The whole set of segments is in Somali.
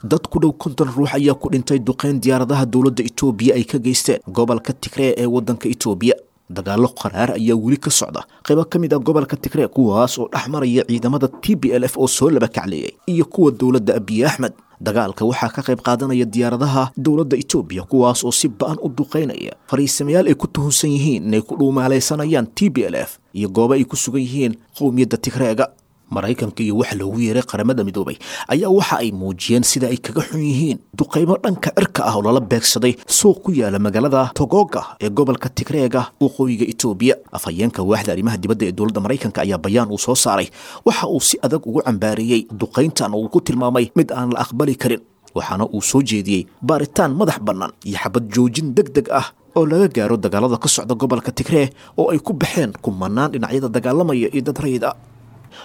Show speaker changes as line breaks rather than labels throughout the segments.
Dad ku dhow 50 ruux ayaa ku dhintay duqeyn diyaaradaha dowladda Itoobiya ay ka geysteen gobolka Tigree ee waddanka Itoobiya. Dagaallo qaraar ayaa weli ka socda qaybo ka mid ah gobolka Tigree, kuwaas oo dhex maraya ciidamada TPLF oo soo laba kacleeyay iyo kuwa dowladda Abiy Axmed. Dagaalka waxaa ka qayb qaadanaya diyaaradaha dowladda Itoobiya, kuwaas oo si ba-an u duqeynaya fariisamayaal ay ku tuhunsan yihiin inay ku dhuumaalaysanayaan TPLF iyo goobo ay ku sugan yihiin qowmiyadda Tigreega. Maraykanka iyo waxa loogu yeeray Qaramada Midoobay ayaa waxa ay muujiyeen sida ay kaga xun yihiin duqaymo dhanka cirka ah oo lala beegsaday suuq ku yaala magaalada Togoga ee gobolka Tigreega, waqooyiga Itoobiya. Afhayeenka waaxda arrimaha dibadda ee dowladda Maraykanka ayaa bayaan uu soo saaray waxa uu si adag ugu cambaareeyey duqayntan oo uu ku tilmaamay mid aan la aqbali karin, waxaana uu soo jeediyey baaritaan madax bannaan iyo xabad joojin deg deg ah oo laga gaaro dagaalada ka socda gobolka Tigree oo ay ku baxeen kumanaan dhinacyada dagaalamaya iyo dad rayid ah.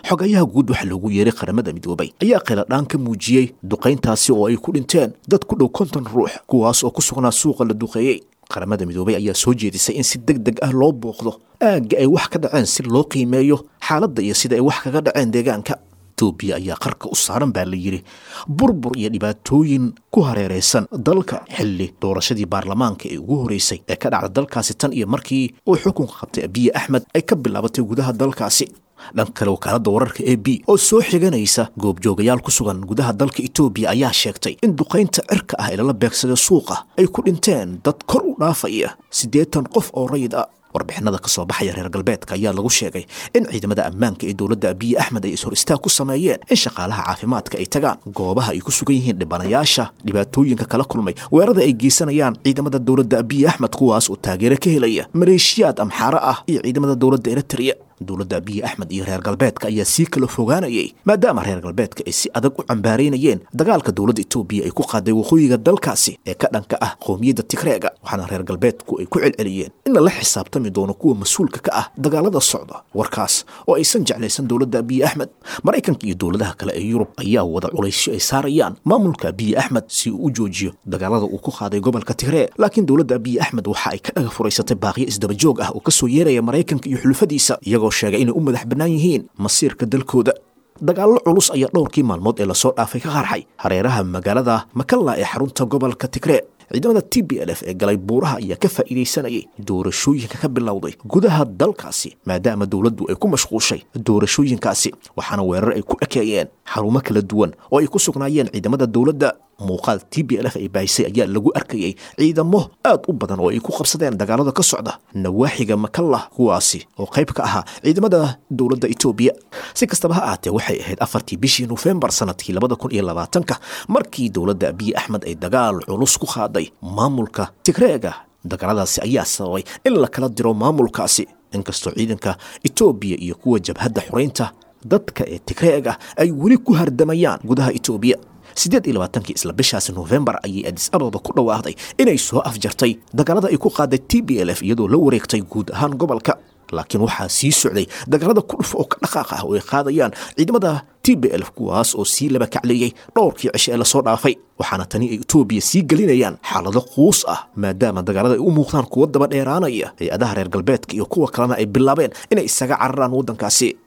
Xogayaha guud waxa loogu yeeray Qaramada Midoobay ayaa qayladhaan ka muujiyey duqayntaasi oo ay ku dhinteen dad ku dhow 50 ruux, kuwaas oo ku sugnaa suuqa la duqeeyey. Qaramada Midoobay ayaa soo jeedisay in si deg deg ah loo booqdo aagga ay wax ka dhaceen si loo qiimeeyo xaaladda iyo sida ay wax kaga dhaceen deegaanka. Itoobiya ayaa qarka u saaran baa la yidhi burbur iyo dhibaatooyin ku hareeraysan dalka, xilli doorashadii baarlamaanka ee ugu horeysay ee ka dhacda dalkaasi tan iyo markii uu xukunka qabtay Abiy Axmed ay ka bilaabatay gudaha dalkaasi. Dhanka kale, wakaaladda wararka AP oo soo xiganaysa goobjoogayaal ku sugan gudaha dalka Itoobiya ayaa sheegtay in duqaynta cirka ah ee lala beegsaday suuqa ay ku dhinteen dad kor u dhaafaya 80 qof oo rayid ah. Warbixinada ka soo baxaya reer galbeedka ayaa lagu sheegay in ciidamada ammaanka ee dowladda Abiy Axmed ay ishor istaag ku sameeyeen in shaqaalaha caafimaadka ay tagaan goobaha ay ku sugan yihiin dhibanayaasha dhibaatooyinka kala kulmay weerarada ay geysanayaan ciidamada dowladda Abiy Axmed, kuwaas oo taageero ka helaya maleeshiyaad Amxaaro ah iyo ciidamada dowladda Eritrea. Dowladda Abiy Axmed iyo reer galbeedka ayaa sii kala fogaanayay, maadaama reer galbeedka ay si adag u cambaaraynayeen dagaalka dowladda Itoobiya ay ku qaaday waqooyiga dalkaasi ee ka dhanka ah qowmiyadda Tigreega, waxaana reer galbeedku ay ku celceliyeen in lala xisaabtami doono kuwa mas-uulka ka ah dagaalada socda, warkaas oo aysan jeclaysan dowladda Abiy Axmed. Maraykanka iyo dowladaha kale ee Yurub ayaa wada culaysyo ay saarayaan maamulka Abiy Axmed si uu u joojiyo dagaalada uu ku qaaday gobolka Tigree, laakiin dowladda Abiy Axmed waxa ay ka dhaga furaysatay baaqiyo isdabajoog ah oo kasoo yeeraya Maraykanka iyo xulufadiisa, iyagoo sheegay inay u madax bannaan yihiin masiirka dalkooda. Dagaallo culus ayaa dhowrkii maalmood ee lasoo dhaafay ka qarxay hareeraha magaalada Makalla ee xarunta gobolka Tigree. Ciidamada TPLF ee galay buuraha ayaa ka faa'iidaysanayay doorashooyinka ka bilowday gudaha dalkaasi, maadaama dowladdu ay ku mashquushay doorashooyinkaasi, waxaana weerar ay ku ekeeyeen xarumo kala duwan oo ay ku sugnaayeen ciidamada dowladda. Muuqaal TPLF ay baahisay ayaa lagu arkayay ciidamo aad u badan oo ay ku qabsadeen dagaalada ka socda nawaaxiga Makalla, kuwaasi oo qayb ka ahaa ciidamada dowladda Itoobiya. Si kastaba ha ahaatee, waxay ahayd 4-tii bishii Nofembar sanadkii 2020-ka markii dowladda Abiy Axmed ay dagaal culus ku qaaday maamulka Tigreega. Dagaaladaasi ayaa sababay in la kala diro maamulkaasi, inkastoo ciidanka Itoobiya iyo kuwa jabhadda xoreynta dadka ee Tigreega ay weli ku hardamayaan gudaha Itoobiya. 28-kii isla bishaasi Nofembar ayay Adis Ababa ku dhawaaqday inay soo afjartay dagaalada ay ku qaaday TPLF, iyadoo la wareegtay guud ahaan gobolka, laakiin waxaa sii socday dagaalada ku dhuf oo ka dhaqaaq ah oo ay qaadayaan ciidamada TPLF, kuwaas oo sii laba kacleeyey dhowrkii cishe ee lasoo dhaafay, waxaana tani ay Itoobiya sii gelinayaan xaalado quus ah, maadaama dagaalada ay u muuqdaan kuwo daba dheeraanaya, hay-adaha reer galbeedka iyo kuwa kalena ay bilaabeen inay isaga cararaan waddankaasi.